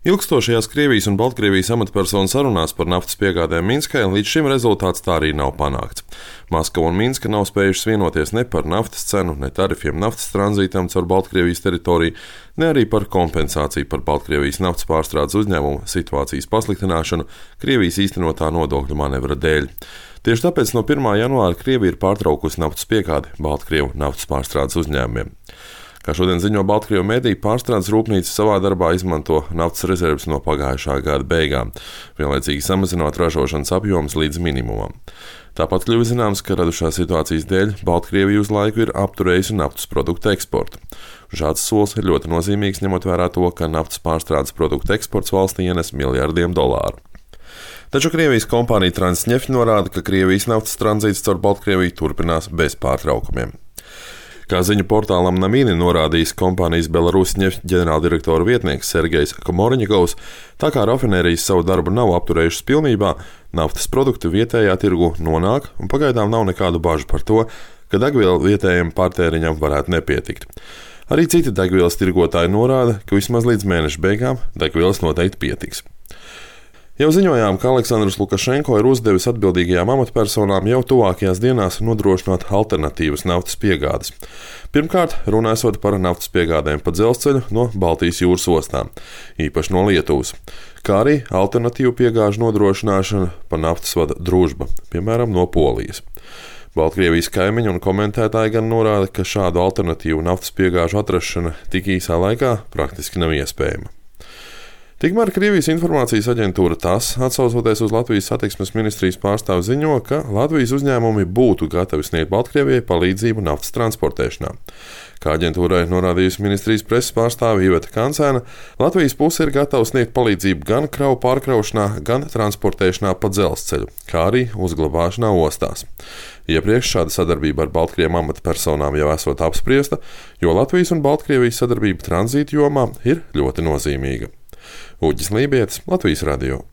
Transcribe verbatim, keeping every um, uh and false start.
Ilgstošajās Krievijas un Baltkrievijas amatpersonu sarunās par naftas piegādēm Minskai līdz šim rezultāts tā arī nav panākts. Maskava un Minska nav spējušas vienoties ne par naftas cenu, ne tarifiem naftas tranzītam caur Baltkrievijas teritoriju, ne arī par kompensāciju par Baltkrievijas naftas pārstrādes uzņēmumu situācijas pasliktināšanu Krievijas īstenotā nodokļu manevra dēļ. Tieši tāpēc no pirmā janvāra Krievija ir pārtraukusi naftas piegādi Baltkrievu naftas pārstrādes uzņēmumiem. Kā šodien ziņo Baltkrievu mediji, pārstrādes rūpnīca savā darbā izmanto naftas rezerves no pagājušā gada beigām, vienlaicīgi samazinot ražošanas apjomus līdz minimumam. Tāpat kļuva zināms, ka radušās situācijas dēļ Baltkrievija uz laiku ir apturējusi naftas produktu eksportu. Šāds solis ir ļoti nozīmīgs, ņemot vērā to, ka naftas pārstrādes produktu eksports valstī ienes miljardiem dolāru. Taču Krievijas kompānija Transneft norāda, ka Krievijas naftas tranzīts caur Baltkrieviju turpinās bez pārtraukumiem. Kā ziņu portālam Namīni norādījis kompānijas Belarusneft ģenerāldirektora vietnieks Sergejs Komorņikovs, tā kā rafinērijas savu darbu nav apturējušas pilnībā, naftas produkti vietējā tirgu nonāk un pagaidām nav nekādu bažu par to, ka degviela vietējiem patēriņam varētu nepietikt. Arī citi degvielas tirgotāji norāda, ka vismaz līdz mēneša beigām degvielas noteikti pietiks. Jau ziņojām, ka Aleksandrs Lukašenko ir uzdevis atbildīgajām amatpersonām jau tuvākajās dienās nodrošināt alternatīvas naftas piegādes. Pirmkārt, runājot par naftas piegādēm pa dzelzceļu no Baltijas jūras ostām, īpaši no Lietuvas, kā arī alternatīvu piegāžu nodrošināšana pa naftas vada Družba, piemēram, no Polijas. Baltkrievijas kaimiņi un komentētāji gan norāda, ka šādu alternatīvu naftas piegāžu atrašana tik īsā laikā praktiski nav iespējama. Tikmēr Krievijas informācijas aģentūra TASS, atsaucoties uz Latvijas satiksmes ministrijas pārstāvu, ziņo, ka Latvijas uzņēmumi būtu gatavi sniegt Baltkrievijai palīdzību naftas transportēšanā. Kā aģentūrai norādījusi ministrijas preses pārstāve Iveta Kancēna, Latvijas puse ir gatava sniegt palīdzību gan kravu pārkraušanā, gan transportēšanā pa dzelzceļu, kā arī uzglabāšanā ostās. Iepriekš šāda sadarbība ar Baltkrievu amatpersonām jau esot apspriesta, jo Latvijas un Baltkrievijas sadarbība tranzīta jomā ir ļoti nozīmīga. Uģis Lībietis, Latvijas radio.